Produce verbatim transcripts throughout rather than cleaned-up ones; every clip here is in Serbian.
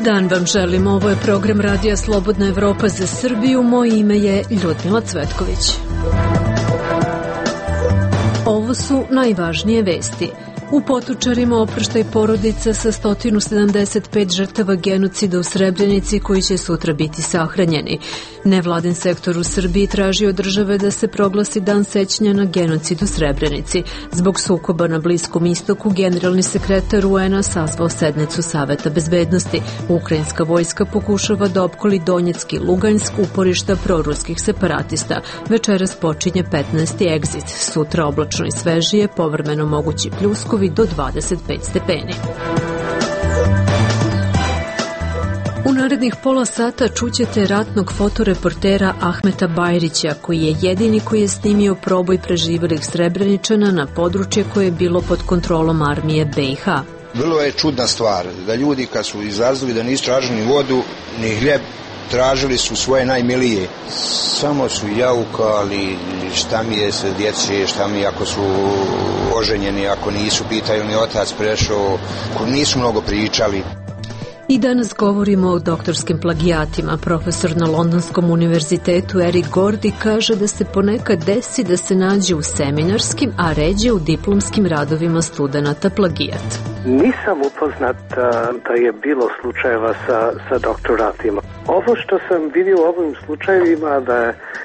dan vam želim, ovo je program Radija Slobodna Evropa za Srbiju, moje ime je Ljudmila Cvetković. Ovo su najvažnije vesti. U Potočarima oproštaj porodica sa sto sedamdeset pet žrtava genocida u Srebrenici koji će sutra biti sahranjeni. Nevladin sektor u Srbiji traži od države da se proglasi dan sećanja na genocid u Srebrenici. Zbog sukoba na Bliskom istoku, generalni sekretar U N A sazvao sednicu Saveta bezbednosti. Ukrajinska vojska pokušava da opkoli Donjeck i Lugansk, uporišta proruskih separatista. Večeras počinje petnaesti egzit. Sutra oblačno i svežije, povremeno mogući pljuskovi do dvadeset pet stepeni. U narednih pola sata čućete ratnog fotoreportera Ahmeta Bajrića, koji je jedini koji je snimio proboj preživelih Srebreničana na područje koje je bilo pod kontrolom armije B i H. Vrlo je čudna stvar da ljudi kad su izlazili da nisu tražili ni vodu, ni hljeb, tražili su svoje najmilije. Samo su jaukali šta mi je sa djece, šta mi ako su oženjeni, ako nisu, pitaju mi otac prešao, ako nisu mnogo pričali. I danas govorimo o doktorskim plagijatima. Profesor na Londonskom univerzitetu Eric Gordy kaže da se ponekad desi da se nađe u seminarskim, a ređe u diplomskim radovima studenata plagijat. Nisam upoznat da je bilo slučajeva sa, sa doktoratima. Ovo što sam vidio u ovim slučajevima da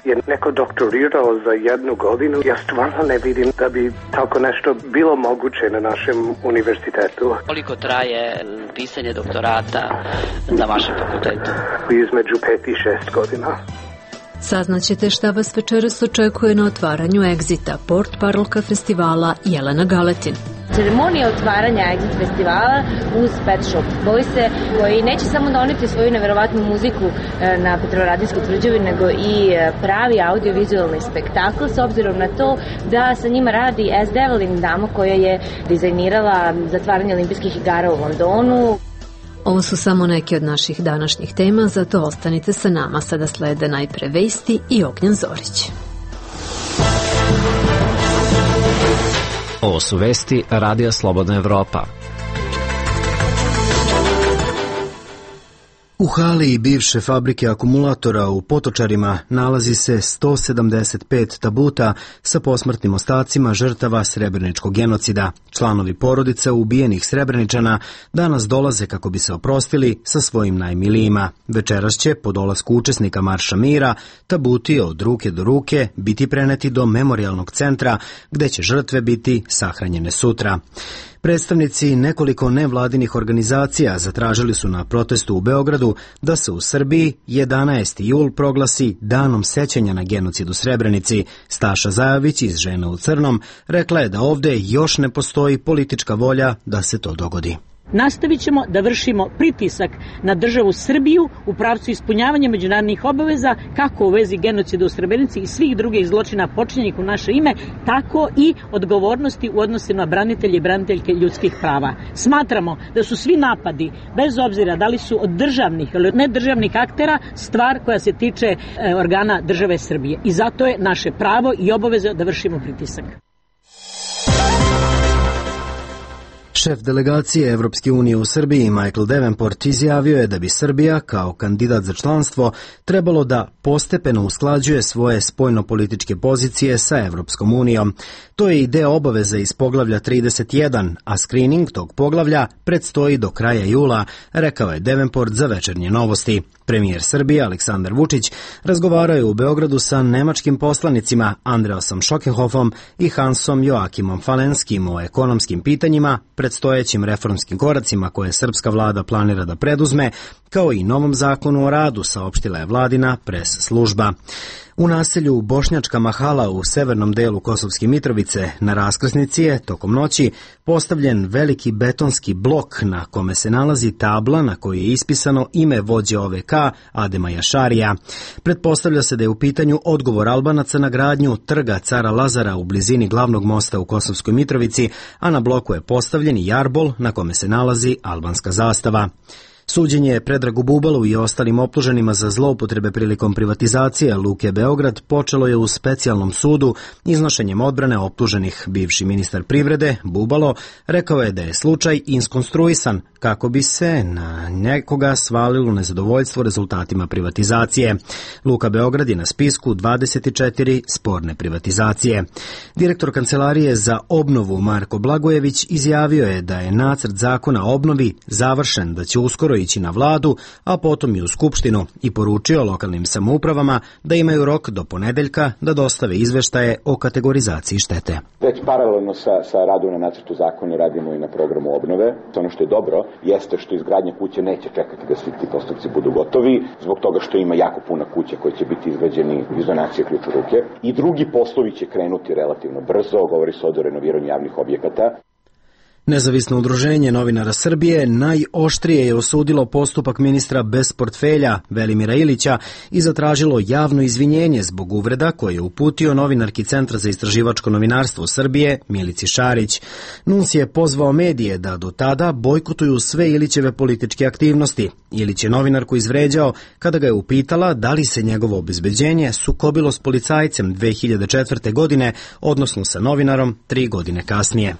je neko doktorirao za jednu godinu, ja stvarno ne vidim da bi tako nešto bilo moguće na našem univerzitetu. Koliko traje pisanje doktorata na vašem fakultetu? Između pet i šest godina. Saznaćete šta vas večeras očekuje na otvaranju Egzita, port parolka festivala Jelena Galetin. Ceremonija otvaranja Exit festivala uz Pet Shop Boyse, koji neće samo doneti svoju neverovatnu muziku na Petrovaradinskoj tvrđavi, nego i pravi audiovizualni spektakl, s obzirom na to da sa njima radi S. Devlin, dama koja je dizajnirala zatvaranje olimpijskih igara u Londonu. Ovo su samo neke od naših današnjih tema, zato ostanite sa nama. Sada slede najpre vesti i Ognjen Zorić. Ovo su vesti Radija Slobodna Evropa. U hali bivše fabrike akumulatora u Potočarima nalazi se sto sedamdeset pet tabuta sa posmrtnim ostacima žrtava srebreničkog genocida. Članovi porodica ubijenih Srebreničana danas dolaze kako bi se oprostili sa svojim najmilijima. Večeras će, po dolasku učesnika Marša mira, tabuti od ruke do ruke biti preneti do memorijalnog centra gde će žrtve biti sahranjene sutra. Predstavnici nekoliko nevladinih organizacija zatražili su na protestu u Beogradu da se u Srbiji jedanaesti jul proglasi danom sećanja na genocid u Srebrenici. Staša Zajović iz Žena u crnom rekla je da ovde još ne postoji politička volja da se to dogodi. Nastavit ćemo da vršimo pritisak na državu Srbiju u pravcu ispunjavanja međunarodnih obaveza, kako u vezi genocida u Srebrenici i svih drugih zločina počinjenih u naše ime, tako i odgovornosti u odnosu na branitelje i braniteljke ljudskih prava. Smatramo da su svi napadi, bez obzira da li su od državnih ili od nedržavnih aktera, stvar koja se tiče e, organa države Srbije. I zato je naše pravo i obaveza da vršimo pritisak. Šef delegacije Evropske unije u Srbiji Michael Davenport izjavio je da bi Srbija kao kandidat za članstvo trebalo da postepeno usklađuje svoje spoljnopolitičke pozicije sa Evropskom unijom. To je i deo obaveza iz poglavlja trideset jedan, a screening tog poglavlja predstoji do kraja jula, rekao je Davenport za Večernje novosti. Premijer Srbije Aleksandar Vučić razgovarao je u Beogradu sa nemačkim poslanicima Andreasom Schöckehofom i Hansom Joakimom Falenskim o ekonomskim pitanjima, predstojećim reformskim koracima koje srpska vlada planira da preduzme, kao i novom zakonu o radu, saopštila je vladina pres služba. U naselju Bošnjačka Mahala u severnom delu Kosovske Mitrovice na raskrsnici je tokom noći postavljen veliki betonski blok na kome se nalazi tabla na kojoj je ispisano ime vođe O V K Adema Jašarija. Pretpostavlja se da je u pitanju odgovor Albanaca na gradnju trga Cara Lazara u blizini glavnog mosta u Kosovskoj Mitrovici, a na bloku je postavljen i jarbol na kome se nalazi albanska zastava. Suđenje Predragu Bubalu i ostalim optuženima za zloupotrebe prilikom privatizacije Luke Beograd počelo je u specijalnom sudu iznošenjem odbrane optuženih. Bivši ministar privrede Bubalo rekao je da je slučaj iskonstruisan kako bi se na nekoga svalilo nezadovoljstvo rezultatima privatizacije. Luka Beograd je na spisku dvadeset četiri sporne privatizacije. Direktor Kancelarije za obnovu Marko Blagojević izjavio je da je nacrt zakona o obnovi završen, da će uskoro ići na vladu, a potom i u Skupštinu, i poručio lokalnim samoupravama da imaju rok do ponedeljka da dostave izveštaje o kategorizaciji štete. Već paralelno sa, sa radom na nacrtu zakona radimo i na programu obnove. Ono što je dobro jeste što izgradnja kuće neće čekati da svi ti postupci budu gotovi, zbog toga što ima jako puno kuća koje će biti izgrađeni iz donacije ključ u ruke. I drugi poslovi će krenuti relativno brzo, govori se o renoviranju javnih objekata. Nezavisno udruženje novinara Srbije najoštrije je osudilo postupak ministra bez portfelja Velimira Ilića i zatražilo javno izvinjenje zbog uvreda koje je uputio novinarki Centra za istraživačko novinarstvo Srbije Milici Šarić. Nuns je pozvao medije da do tada bojkotuju sve Ilićeve političke aktivnosti. Ilić je novinarku izvređao kada ga je upitala da li se njegovo obezbeđenje sukobilo s policajcem dve hiljade četvrte. godine, odnosno sa novinarom tri godine kasnije.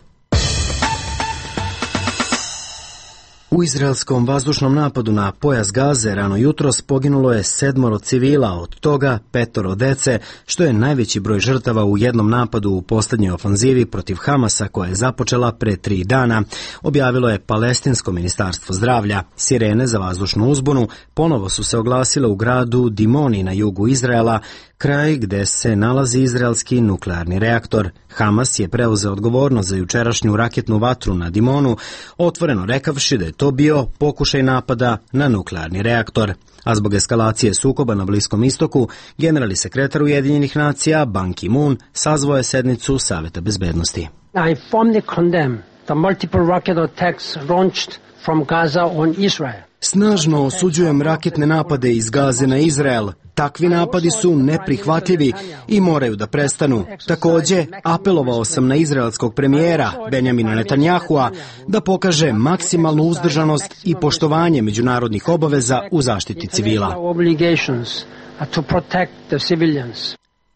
U izraelskom vazdušnom napadu na pojas Gaze rano jutros poginulo je sedmoro civila, od toga petoro dece, što je najveći broj žrtava u jednom napadu u posljednjoj ofanzivi protiv Hamasa koja je započela pre tri dana, objavilo je Palestinsko ministarstvo zdravlja. Sirene za vazdušnu uzbunu ponovo su se oglasile u gradu Dimoni na jugu Izraela, kraj gde se nalazi izraelski nuklearni reaktor. Hamas je preuzeo odgovornost za jučerašnju raketnu vatru na Dimonu, otvoreno rekavši da je to bio pokušaj napada na nuklearni reaktor. A zbog eskalacije sukoba na Bliskom istoku, generalni sekretar Ujedinjenih nacija Ban Ki-moon sazvao je sednicu Saveta bezbednosti. I firmly condemn the multiple rocket attacks launched from Gaza on Israel. Snažno osuđujem raketne napade iz Gaze na Izrael. Takvi napadi su neprihvatljivi i moraju da prestanu. Takođe, apelovao sam na izraelskog premijera Benjamina Netanyahua da pokaže maksimalnu uzdržanost i poštovanje međunarodnih obaveza u zaštiti civila.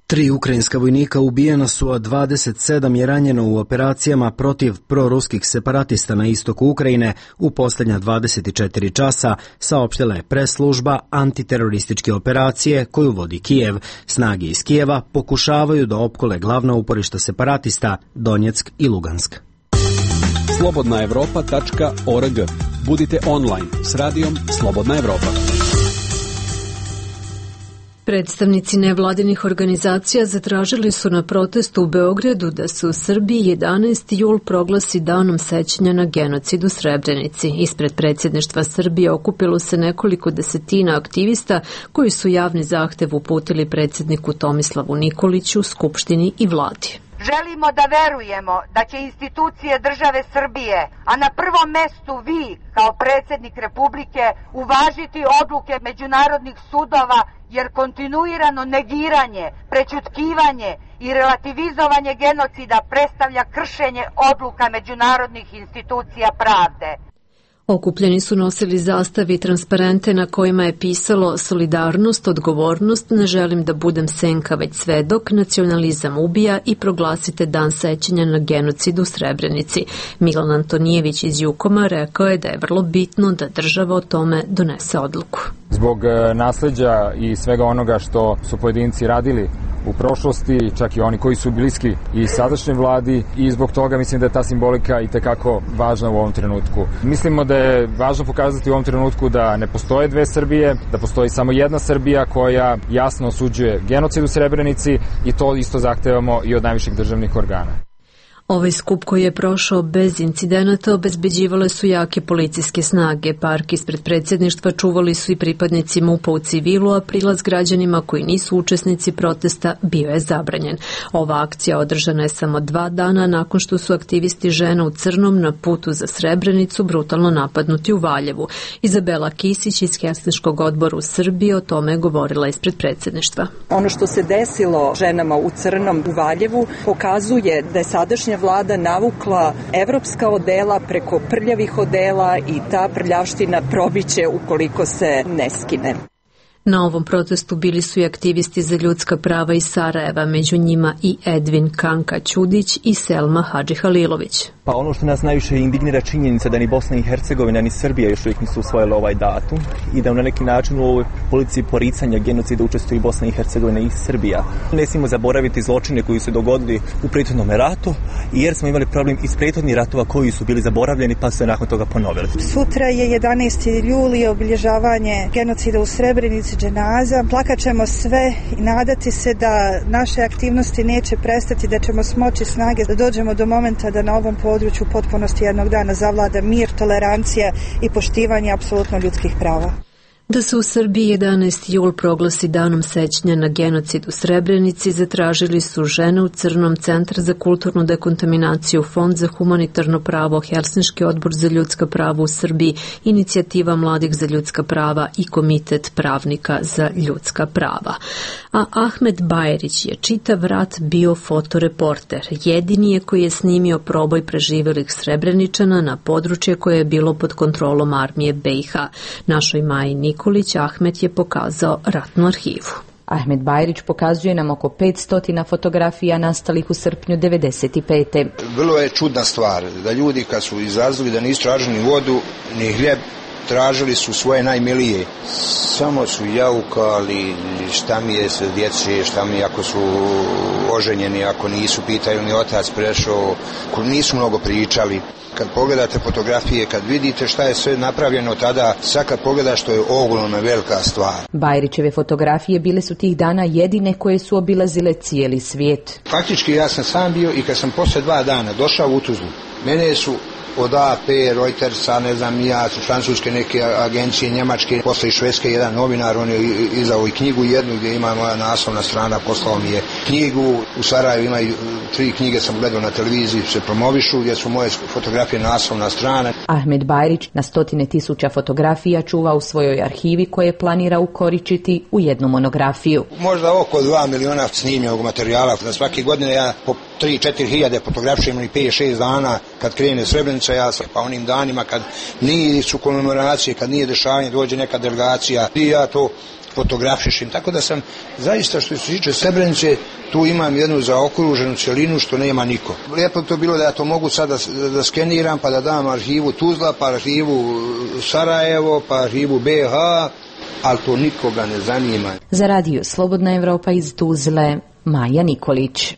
Tri ukrajinska vojnika ubijena su, a dvadeset sedam je ranjeno u operacijama protiv proruskih separatista na istoku Ukrajine u posljednja dvadeset četiri časa, saopštila je pres služba antiterorističke operacije koju vodi Kijev. Snage iz Kijeva pokušavaju da opkole glavna uporišta separatista Donjeck i Lugansk. slobodna evropa tačka org. Budite online s radijom Slobodna Evropa. Predstavnici nevladinih organizacija zatražili su na protestu u Beogradu da se u Srbiji jedanaesti jul proglasi danom sećanja na genocid u Srebrenici. Ispred predsjedništva Srbije okupilo se nekoliko desetina aktivista koji su javni zahtev uputili predsjedniku Tomislavu Nikoliću, Skupštini i vladi. Želimo da verujemo da će institucije države Srbije, a na prvom mestu vi, kao predsjednik Republike, uvažiti odluke međunarodnih sudova, jer kontinuirano negiranje, prećutkivanje i relativizovanje genocida predstavlja kršenje odluka međunarodnih institucija pravde. Okupljeni su nosili zastave i transparente na kojima je pisalo solidarnost, odgovornost, ne želim da budem senka već svedok, nacionalizam ubija i proglasite dan sećanja na genocid u Srebrenici. Milan Antonijević iz Jukoma rekao je da je vrlo bitno da država o tome donese odluku. Zbog nasleđa i svega onoga što su pojedinci radili u prošlosti, čak i oni koji su bliski i sadašnjoj vladi, i zbog toga mislim da je ta simbolika i tekako važna u ovom trenutku. Mislimo da je važno pokazati u ovom trenutku da ne postoje dve Srbije, da postoji samo jedna Srbija koja jasno osuđuje genocid u Srebrenici, i to isto zahtevamo i od najviših državnih organa. Ovaj skup koji je prošao bez incidenata obezbeđivale su jake policijske snage. Park ispred predsjedništva čuvali su i pripadnici MUP-a u civilu, a prilaz građanima koji nisu učesnici protesta bio je zabranjen. Ova akcija održana je samo dva dana nakon što su aktivisti žena u crnom na putu za Srebrenicu brutalno napadnuti u Valjevu. Izabela Kisić iz Helsinškog odbora u Srbiji o tome je govorila ispred predsjedništva. Ono što se desilo ženama u crnom u Valjevu pokazuje da je sadašnja sadašnja vlada navukla evropska odela preko prljavih odela i ta prljavština probiće ukoliko se ne skine. Na ovom protestu bili su i aktivisti za ljudska prava iz Sarajeva, među njima i Edvin Kanka Ćudić i Selma Hadži Halilović. Pa ono što nas najviše indignira činjenica da ni Bosna i Hercegovina ni Srbija još uvijek nisu usvojile ovaj datum i da na neki način u ovoj politici poricanja genocida učestvuju i Bosna i Hercegovina i Srbija. Ne smijemo zaboraviti zločine koji su dogodili u prethodnom ratu jer smo imali problem iz prethodnih ratova koji su bili zaboravljeni pa su se nakon toga ponovili. Sutra je jedanaesti juli obilježavanje genocida u Srebrenici, dženaza. Plakat ćemo sve i nadati se da naše aktivnosti neće prestati, da ćemo smoći snage da dođemo do momenta da na ovom području u potpunosti jednog dana zavlada mir, tolerancija i poštivanje apsolutno ljudskih prava. Da se u Srbiji jedanaesti jul proglasi danom sećanja na genocid u Srebrenici, zatražili su Žene u crnom, Centar za kulturnu dekontaminaciju, Fond za humanitarno pravo, Helsinški odbor za ljudska prava u Srbiji, Inicijativa mladih za ljudska prava i Komitet pravnika za ljudska prava. A Ahmed Bajrić je čitav rat bio fotoreporter. Jedini je koji je snimio proboj preživelih Srebreničana na područje koje je bilo pod kontrolom armije B i H. Našoj Maji Nikolić Ahmed je pokazao ratnu arhivu. Ahmed Bajrić pokazuje nam oko petsto fotografija nastalih u srpnju devedeset pete. Vrlo je čudna stvar da ljudi kad su izrazili da nisu tražili ni vodu, ni hljeb, tražili su svoje najmilije. Samo su jaukali šta mi je sa djece, šta mi ako su oženjeni, ako nisu, pitaju mi otac prešao, nisu mnogo pričali. Kad pogledate fotografije, kad vidite šta je sve napravljeno tada, sad kad pogledaš što je ogromna velika stvar. Bajrićeve fotografije bile su tih dana jedine koje su obilazile cijeli svijet. Faktički ja sam sam bio i kad sam posle dva dana došao u Tuzlu, mene su od A P, Reutersa, ne znam ja, francuske neke agencije, njemačke, posle i švedske, jedan novinar, on je izdao i knjigu jednu gdje ima moja naslovna strana, poslao mi je knjigu, u Sarajevu ima tri knjige, sam gledao na televiziji, se promovišu, gdje su moje fotografije naslovna strana. Ahmed Bajrić na stotine tisuća fotografija čuva u svojoj arhivi koje planira ukoričiti u jednu monografiju. Možda oko dva miliona snimljenog materijala, na svake godine ja po tri četiri hiljade fotografišem i pet šest dana kad krene Srebrenica, ja sam pa onim danima kad nije su komemoracije, kad nije dešavanje, dođe neka delegacija i ja to fotografišem, tako da sam zaista što se tiče Srebrenice tu imam jednu zaokruženu cjelinu što nema niko. Lijepo to bilo da ja to mogu sad da, da skeniram pa da dam arhivu Tuzla, pa arhivu Sarajevo, pa arhivu B i H, ali to nikoga ne zanima. Za radio Slobodna Evropa iz Tuzle, Maja Nikolić.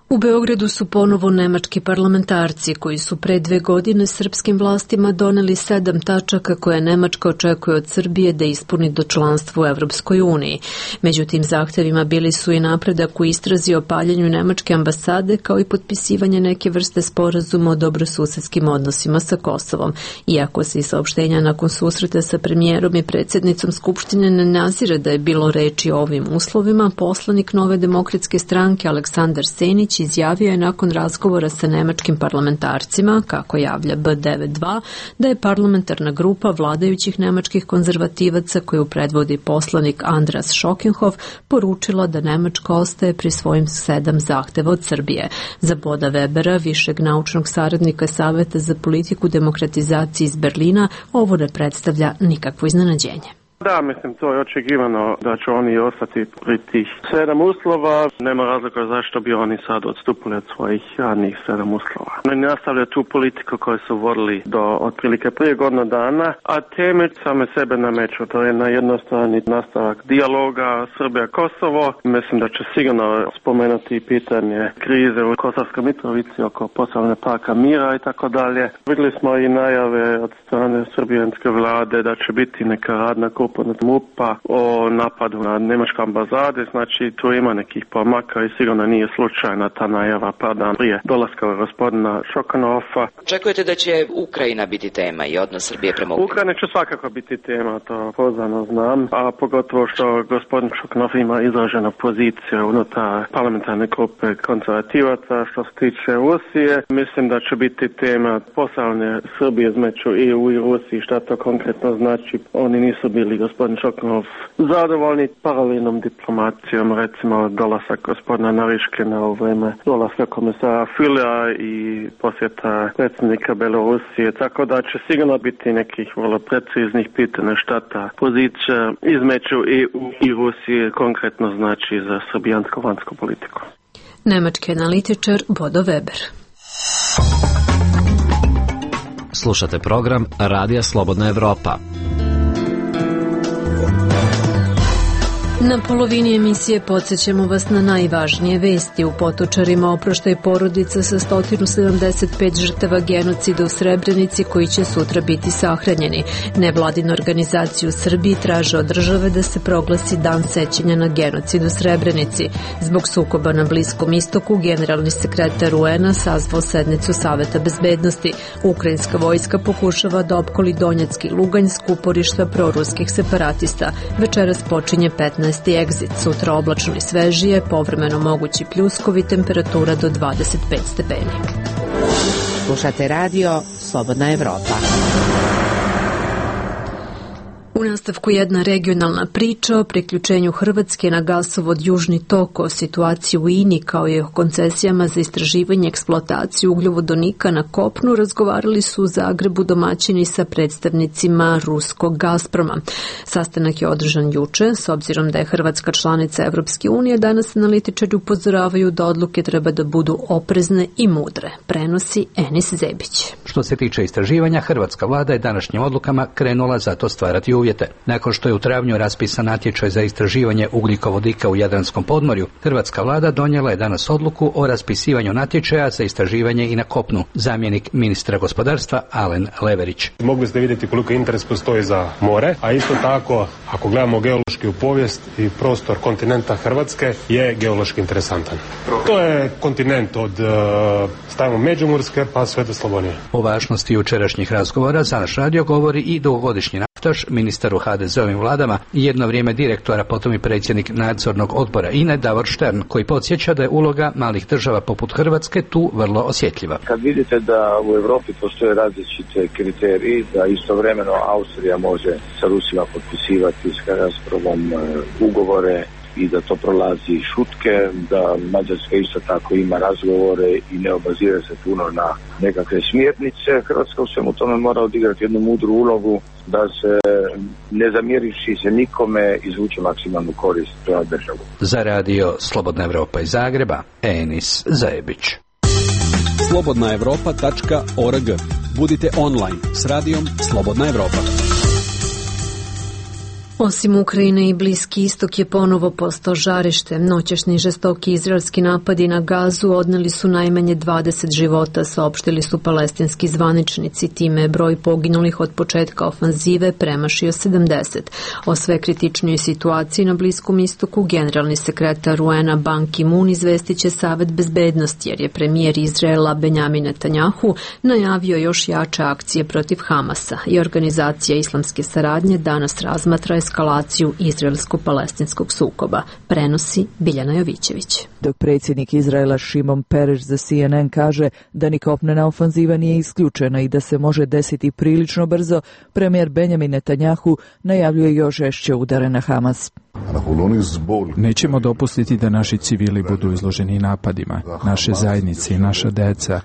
U Beogradu su ponovo nemački parlamentarci koji su pre dve godine srpskim vlastima doneli sedam tačaka koje Nemačka očekuje od Srbije da ispuni do članstva u Evropskoj uniji. Među tim zahtevima bili su i napredak u istrazi o paljenju nemačke ambasade kao i potpisivanje neke vrste sporazuma o dobrosusedskim odnosima sa Kosovom. Iako se i saopštenja nakon susreta sa premijerom i predsjednicom Skupštine ne nazire da je bilo reči o ovim uslovima, poslanik Nove demokratske stranke Aleksandar Senić izjavio je nakon razgovora sa nemačkim parlamentarcima, kako javlja B devedeset dva, da je parlamentarna grupa vladajućih nemačkih konzervativaca koju predvodi poslanik Andras Šokenhof poručila da Nemačka ostaje pri svojim sedam zahteva od Srbije. Za Boda Webera, višeg naučnog saradnika Saveta za politiku demokratizacije iz Berlina, ovo ne predstavlja nikakvo iznenađenje. Da, mislim, to je očekivano da će oni ostati pri tih sedam uslova. Nema razloga zašto bi oni sad odstupili od svojih radnih sedam uslova. Oni nastavljaju tu politiku koju su vodili do otprilike prije godinu dana, a teme same sebe nameću. To je na jednostrani nastavak dijaloga Srbija-Kosovo. Mislim da će sigurno spomenuti pitanje krize u Kosovskoj Mitrovici oko poslovne parka mira i tako dalje. Vidjeli smo i najave od strane srbijanske vlade da će biti neka radna grupa od MUP-a o napadu na nemačke ambasade, znači tu ima nekih pomaka i sigurno nije slučajna ta najava par dana prije dolaska gospodina Šokanova. Očekujete da će Ukrajina biti tema i odnos Srbije prema Ukrajini? Ukrajina će svakako biti tema, to poznano znam, a pogotovo što gospodin Šokanov ima izraženu poziciju unutar parlamentarne grupe konzervativaca što se tiče Rusije. Mislim da će biti tema poslovne Srbije između E U i Rusiji, šta to konkretno znači. Oni nisu bili gospodin Čoknov zadovoljni paralelnom diplomacijom, recimo dolasak gospodina Nariškina u vreme dolaska komisara Fülea i posjeta predsjednika Belorusije, tako da će sigurno biti nekih vrlo preciznih pitanja šta ta pozicija između E U i Rusije konkretno znači za srbijansku vanjsku politiku. Nemački analitičar Bodo Weber. Slušate program Radija Slobodna Evropa. Na polovini emisije podsjećamo vas na najvažnije vesti. U Potočarima oproštaj porodica sa sto sedamdeset pet žrtava genocida u Srebrenici koji će sutra biti sahranjeni. Nevladinu organizaciju u Srbiji traže od države da se proglasi dan sećanja na genocid u Srebrenici. Zbog sukoba na Bliskom istoku, generalni sekretar U N-a sazvao sednicu Saveta bezbednosti. Ukrajinska vojska pokušava da opkoli Donjecki i Lugansk, uporišta proruskih separatista. Večeras počinje petnaesti egzit, sutra oblačno i svežije, povremeno mogući pljuskovi, temperatura do dvadeset pet stepeni. Slušate radio Slobodna Evropa. U nastavku jedna regionalna priča o priključenju Hrvatske na gasovod Južni tok, o situaciji u I N I kao i o koncesijama za istraživanje i eksploataciju ugljovodonika na kopnu razgovarali su u Zagrebu domaćini sa predstavnicima ruskog Gazproma. Sastanak je održan juče, s obzirom da je Hrvatska članica Evropske unije, danas analitičari upozoravaju da odluke treba da budu oprezne i mudre. Prenosi Enis Zebić. Što se tiče istraživanja, hrvatska vlada je današnjim odlukama krenula za to stvarati uvjete. Nakon što je u travnju raspisan natječaj za istraživanje ugljikovodika u Jadranskom podmorju, hrvatska vlada donijela je danas odluku o raspisivanju natječaja za istraživanje i na kopnu. Zamjenik ministra gospodarstva Alen Leverić. Mogli ste vidjeti koliko interes postoji za more, a isto tako, ako gledamo geološki u povijest i prostor kontinenta Hrvatske je geološki interesantan. To je kontinent od uh, stavimo Međimurske pa sve do Slavonije. O važnosti jučerašnjih razgovora za naš radio govori i dugogodišnji naftaš, ministar u ha de ze ovim vladama i jedno vrijeme direktora, potom i predsjednik nadzornog odbora I N E Davor Štern, koji podsjeća da je uloga malih država poput Hrvatske tu vrlo osjetljiva. Kad vidite da u Europi postoje različite kriteriji, da istovremeno Austrija može sa Rusima potpisivati s Gazpromom ugovore i da to prolazi šutke, da Mađarska isto tako ima razgovore i ne obazira se puno na nekakve smjernice. Hrvatska u svemu tome mora odigrati jednu mudru ulogu da se, ne zamjeriši se nikome, izvuče maksimalnu korist za državu. Za radio Slobodna Evropa iz Zagreba, Enis Zajebić. slobodna evropa tačka org. Budite online s radijom Slobodna Evropa. Osim Ukrajine i Bliski istok je ponovo postao žarište. Noćašnji žestoki izraelski napadi na Gazu odneli su najmanje dvadeset života, saopštili su palestinski zvaničnici. Time je broj poginulih od početka ofanzive premašio sedamdeset. O sve kritičnijoj situaciji na Bliskom istoku generalni sekretar U N-a Ban Ki-moon izvestit će Savet bezbednosti, jer je premijer Izraela Benjamin Netanjahu najavio još jače akcije protiv Hamasa i organizacija islamske saradnje danas razmatra eskalaciju izraelsko-palestinskog sukoba, prenosi Biljana Jovićević. Dok predsjednik Izraela Šimon Pereš za C N N kaže da ni kopnena ofanziva nije isključena i da se može desiti prilično brzo, premijer Benjamin Netanjahu najavljuje još žešće udare na Hamas. Nećemo dopustiti da naši civili budu izloženi napadima, naše zajednice i naša deca.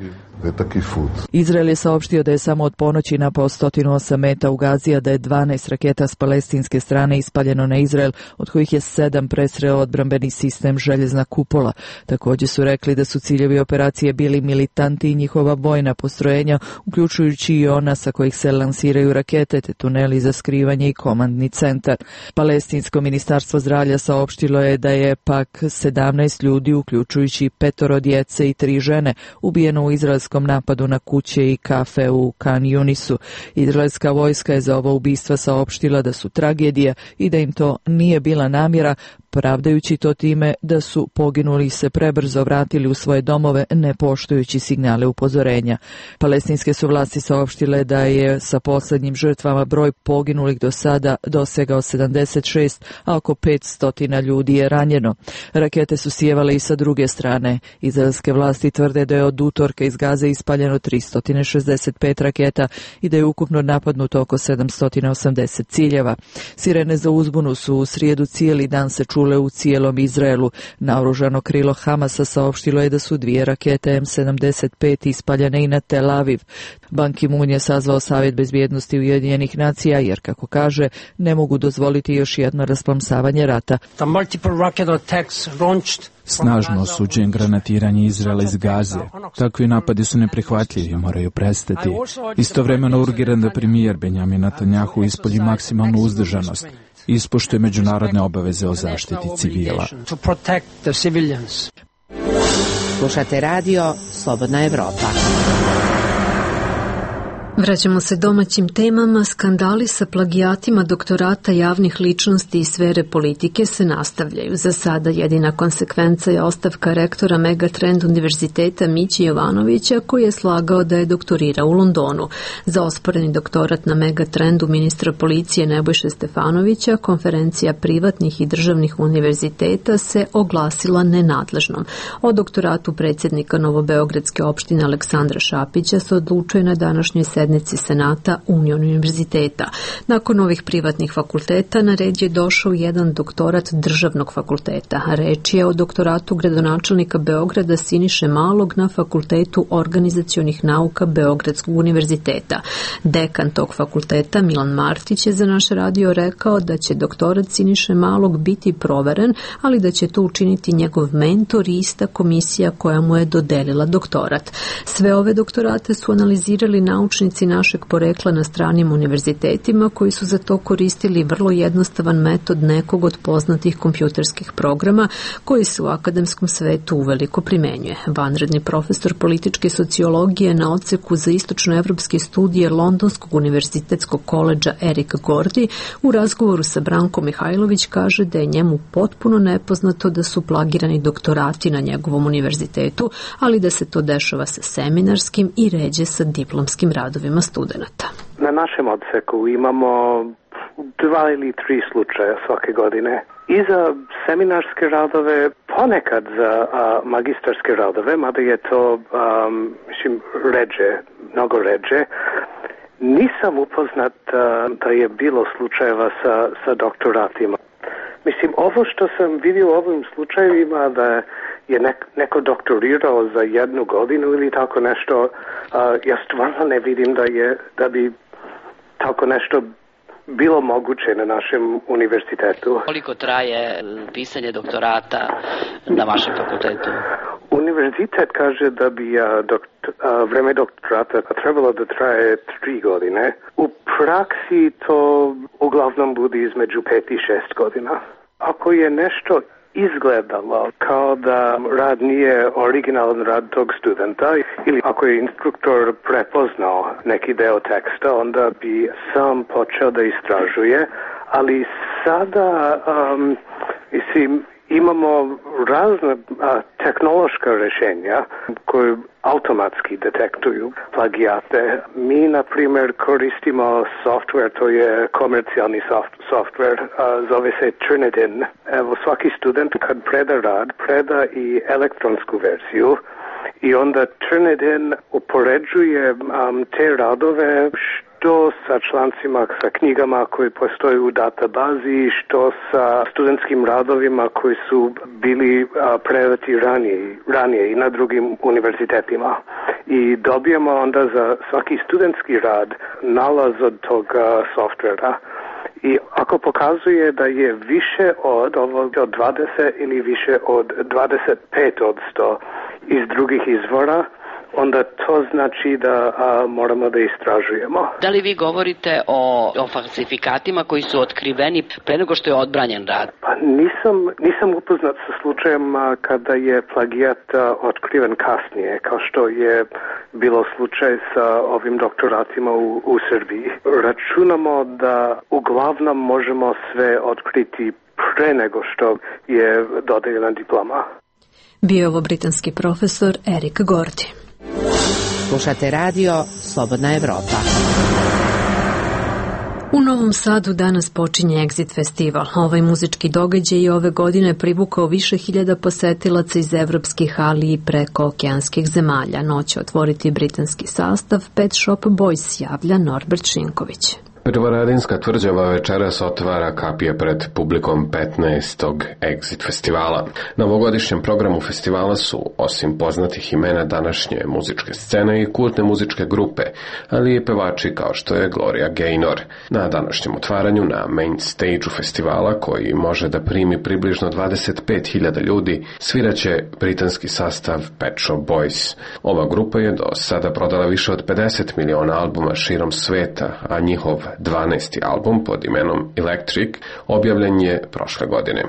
Izrael je saopštio da je samo od ponoći napao sto osam meta u Gazi, a da je dvanaest raketa s palestinske strane ispaljeno na Izrael, od kojih je sedam presreo odbrambeni sistem željezna kupola. Također su rekli da su ciljevi operacije bili militanti i njihova vojna postrojenja, uključujući i ona sa kojih se lansiraju rakete, te tuneli za skrivanje i komandni centar. Palestinsko ministarstvo zdravlja saopštilo je da je pak sedamnaest ljudi, uključujući petoro djece i tri žene, ubijeno u izraelskom napadu na kuće i kafe u Khan Yunisu. Izraelska vojska je za ovo ubistva saopštila da su tragedija i da im to nije bila namjera, opravdajući to time da su poginuli se prebrzo vratili u svoje domove ne poštujući signale upozorenja. Palestinske su vlasti saopštile da je sa poslednjim žrtvama broj poginulih do sada dosegao sedamdeset šest, a oko petsto ljudi je ranjeno. Rakete su sijevale i sa druge strane. Izraelske vlasti tvrde da je od utorka iz Gaze ispaljeno tristo šezdeset pet raketa i da je ukupno napadnuto oko sedamsto osamdeset ciljeva. Sirene za uzbunu su u srijedu cijeli dan se čule u cijelom Izraelu. Naoružano krilo Hamasa saopštilo je da su dvije rakete M sedamdeset pet ispaljene i na Tel Aviv. Ban Ki-moon je sazvao Savjet bezbjednosti Ujedinjenih nacija jer, kako kaže, ne mogu dozvoliti još jedno rasplamsavanje rata. Snažno osuđujem granatiranje Izraela iz Gaze. Takvi napadi su neprihvatljivi i moraju prestati. Istovremeno urgiram da premijer Benjamin Netanjahu ispolji maksimalnu uzdržanost i ispoštuje međunarodne obaveze o zaštiti civila. Slušate radio Slobodna Evropa. Vraćamo se domaćim temama. Skandali sa plagijatima doktorata javnih ličnosti i sfere politike se nastavljaju. Za sada jedina konsekvenca je ostavka rektora Megatrend univerziteta Mići Jovanovića, koji je slagao da je doktorirao u Londonu. Za osporeni doktorat na Megatrendu ministra policije Nebojše Stefanovića konferencija privatnih i državnih univerziteta se oglasila nenadležnom. O doktoratu predsjednika Novobeogradske opštine Aleksandra Šapića se odlučuje na današnjoj sednici Senata Union univerziteta. Nakon ovih privatnih fakulteta na red je došao jedan doktorat državnog fakulteta. Reč je o doktoratu gradonačelnika Beograda Siniše Malog na Fakultetu organizacionih nauka Beogradskog univerziteta. Dekan tog fakulteta Milan Martić je za naš radio rekao da će doktorat Siniše Malog biti proveren, ali da će to učiniti njegov mentor i ista komisija koja mu je dodelila doktorat. Sve ove doktorate su analizirali naučnici našeg porekla na stranim univerzitetima koji su za to koristili vrlo jednostavan metod nekog od poznatih kompjuterskih programa koji se u akademskom svetu uveliko primenjuje. Vanredni profesor političke sociologije na odseku za istočnoevropske studije Londonskog univerzitetskog koledža Erik Gordi u razgovoru sa Brankom Mihajlović kaže da je njemu potpuno nepoznato da su plagirani doktorati na njegovom univerzitetu, ali da se to dešava sa seminarskim i ređe sa diplomskim radovima studenata. Na našem odseku imamo dva ili tri slučaja svake godine. I za seminarske radove, ponekad za a, magistarske radove, mada je to um, mislim, ređe, mnogo ređe. Nisam upoznat a, da je bilo slučajeva sa, sa doktoratima. Mislim, ovo što sam vidio u ovim slučajevima da je nek, neko doktorirao za jednu godinu ili tako nešto, a, ja stvarno ne vidim da je da bi tako nešto bilo moguće na našem univerzitetu. Koliko traje pisanje doktorata na vašem fakultetu? Univerzitet kaže da bi a, dokt, a, vreme doktorata trebalo da traje tri godine. U praksi to uglavnom bude između pet i šest godina. Ako je nešto izgledalo kao da rad nije originalan rad tog studenta ili ako je instruktor prepoznao neki deo teksta, onda bi sam počeo da istražuje, ali sada um, mislim, imamo razne a, tehnološka rješenja koje automatski detektuju plagijate. Mi, na primjer, koristimo software, to je komercijalni soft, software, a, zove se Turnitin. Evo, svaki student kad preda rad, preda i elektronsku verziju i onda Turnitin upoređuje um, te radove što sa člancima, sa knjigama koji postoje u databazi, što sa studentskim radovima koji su bili a, predati ranije, ranije i na drugim univerzitetima. I dobijemo onda za svaki studentski rad nalaz od tog a, softvera. I ako pokazuje da je više od ovog od dvadeset ili više od dvadeset pet od sto iz drugih izvora, onda to znači da a, moramo da istražujemo. Da li vi govorite o, o falsifikatima koji su otkriveni pre nego što je odbranjen rad? Pa nisam, nisam upoznat sa slučajem a, kada je plagijat a, otkriven kasnije, kao što je bilo slučaj sa ovim doktoratima u, u Srbiji. Računamo da uglavnom možemo sve otkriti pre nego što je dodeljena diploma. Bio je ovo britanski profesor Erik Gordy. Slušate radio Slobodna Evropa. U Novom Sadu danas počinje Exit festival. Ovaj muzički događaj i ove godine privukao više hiljada posetilaca iz evropskih, ali i preko okeanskih zemalja. Noć će otvoriti britanski sastav Pet Shop Boys, javlja Norbert Šinković. Petrovaradinska tvrđava večeras otvara kapije pred publikom petnaestog Exit festivala. Na ovogodišnjem programu festivala su, osim poznatih imena današnje muzičke scene, i kultne muzičke grupe, ali i pevači kao što je Gloria Gaynor. Na današnjem otvaranju na main stage-u festivala, koji može da primi približno dvadeset pet hiljada ljudi, sviraće britanski sastav Pet Shop Boys. Ova grupa je do sada prodala više od pedeset miliona albuma širom sveta, a njihov dvanaesti album pod imenom Electric objavljen je prošle godine.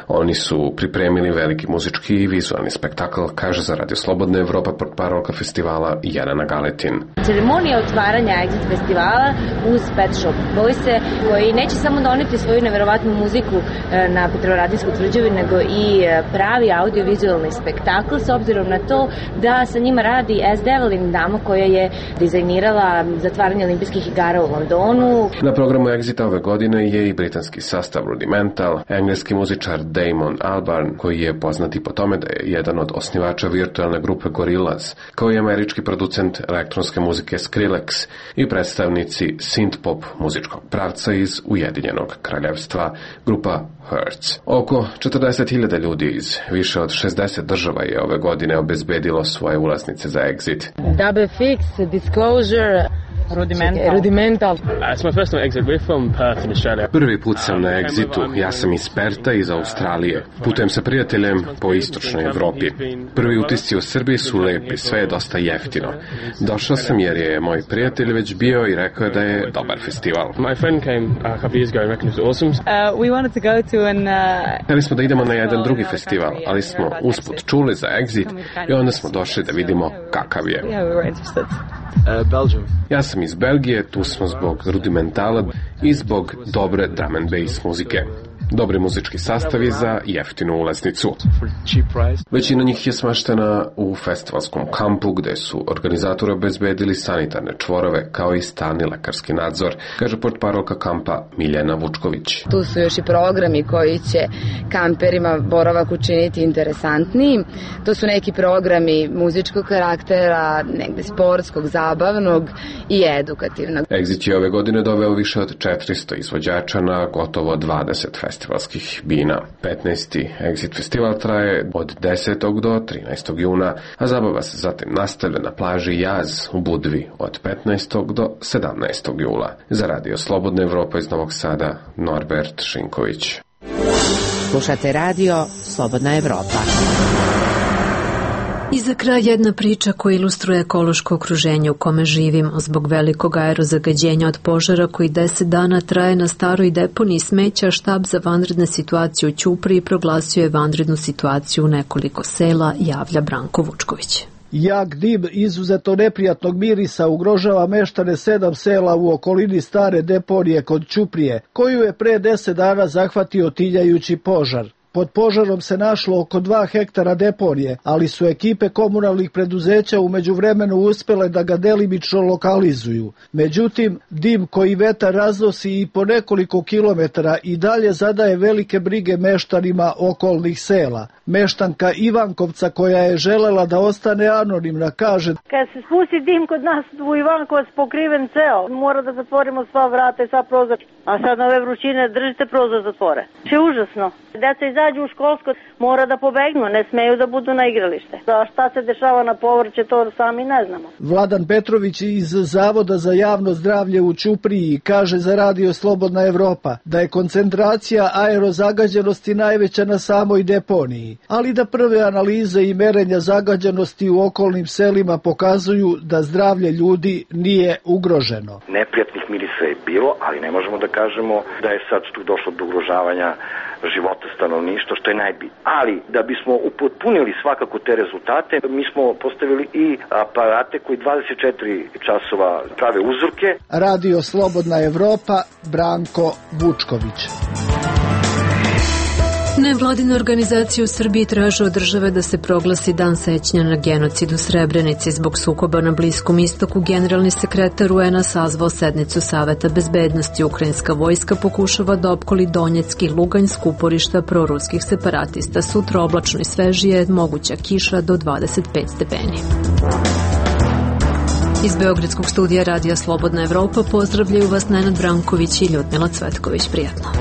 Oni su pripremili veliki muzički i vizualni spektakl, kaže za Radio Slobodna Evropa portparolka festivala Jelena Galetin. Ceremonija otvaranja Exit festivala uz Pet Shop Boyse, koji neće samo doneti svoju neverovatnu muziku na Petrovaradinsku tvrđavu, nego i pravi audio-vizualni spektakl, s obzirom na to da sa njima radi S. Devlin, dama koja je dizajnirala zatvaranje olimpijskih igara u Londonu. Na programu Exita ove godine je i britanski sastav Rudimental, engleski muzičar Damon Albarn, koji je poznat i po tome da je jedan od osnivača virtualne grupe Gorillaz, kao i američki producent elektronske muzike Skrillex i predstavnici synth-pop muzičkog pravca iz Ujedinjenog kraljevstva, grupa Hertz. Oko četrdeset hiljada ljudi iz više od šezdeset država je ove godine obezbedilo svoje ulaznice za Exit. Double Fix, Disclosure, Rudimental. Rudimental. It's my first time Exit. We're from Perth in Australia. Prvi put sam na Exitu. Ja sam iz Perta, iz Australije. Putujem sa prijateljem po istočnoj Evropi. Prvi utisci u Srbiji su lepi, sve je dosta jeftino. Došao sam jer je moj prijatelj već bio i rekao je da je dobar festival. My friend came a couple years ago and reckoned it was awesome. Uh, we wanted to go to an uh... Hteli smo da idemo na jedan drugi festival, ali smo usput čuli za Exit i onda smo došli da vidimo kakav je. Yeah, we were interested. Uh, Belgium. Ja sam iz Belgije, tu smo zbog Rudimentala i zbog dobre drum and bass muzike. Dobri muzički sastavi za jeftinu ulaznicu. Većina njih je smaštena u festivalskom kampu, gde su organizatori obezbedili sanitarne čvorove kao i stalni lekarski nadzor, kaže portparolka kampa Miljana Vučković. Tu su još i programi koji će kamperima boravak učiniti interesantnijim. To su neki programi muzičkog karaktera, negde sportskog, zabavnog i edukativnog. Exit je ove godine doveo više od četiristo izvođača na gotovo dvadeset festivala. festivalskih bina. petnaesti Exit festival traje od desetog do trinaestog juna, a zabava se zatim nastavlja na plaži Jaz u Budvi od petnaestog do sedamnaestog jula. Za Radio Slobodna Evropa iz Novog Sada, Norbert Šinković. Slušate radio Slobodna Evropa. I za kraj jedna priča koja ilustruje ekološko okruženje u kome živimo. Zbog velikog aerozagađenja od požara koji deset dana traje na staroj deponiji smeća, štab za vanredne situacije u Ćupriji proglasio je vanrednu situaciju u nekoliko sela, javlja Branko Vučković. Jak dim izuzeto neprijatnog mirisa ugrožava meštane sedam sela u okolini stare deponije kod Ćuprije, koju je pre deset dana zahvatio tiljajući požar. Pod požarom se našlo oko dva hektara deponije, ali su ekipe komunalnih preduzeća u međuvremenu uspele da ga delimično lokalizuju. Međutim, dim koji vetar raznosi i po nekoliko kilometara i dalje zadaje velike brige meštanima okolnih sela. Meštanka Ivankovca, koja je želela da ostane anonimna, kaže: Kad se spusti dim kod nas u Ivankovac pokriven ceo, mora da zatvorimo sva vrata i sva prozor. A sad na ove vrućine držite prozor zatvore. Je užasno. Deca izađu u školsko, mora da pobegnu, ne smeju da budu na igralište. A šta se dešava na povrće, to sami ne znamo. Vladan Petrović iz Zavoda za javno zdravlje u Ćupriji kaže za Radio Slobodna Evropa da je koncentracija aerozagađenosti najveća na samoj deponiji, ali da prve analize i merenja zagađenosti u okolnim selima pokazuju da zdravlje ljudi nije ugroženo. Neprijatnih mirisa je bilo, ali ne možemo da kažemo da je sad tu došlo do ugrožavanja života stanovništva, što je najbitnije. Ali da bismo upotpunili svakako te rezultate, mi smo postavili i aparate koji dvadeset četiri časova prave uzorke. Radio Slobodna Evropa, Branko Vučković. Nevladine organizacije u Srbiji traže od države da se proglasi dan sećanja na genocid u Srebrenici. Zbog sukoba na Bliskom istoku, generalni sekretar U N A sazvao sednicu Saveta bezbednosti. Ukrajinska vojska pokušava da opkoli Donjecki, Luganjsk, uporišta proruskih separatista. Sutra oblačno i svežije, moguća kiša do dvadeset pet stepeni. Iz Beogradskog studija Radija Slobodna Evropa pozdravljaju vas Nenad Branković i Ljudmila Cvetković. Prijatno.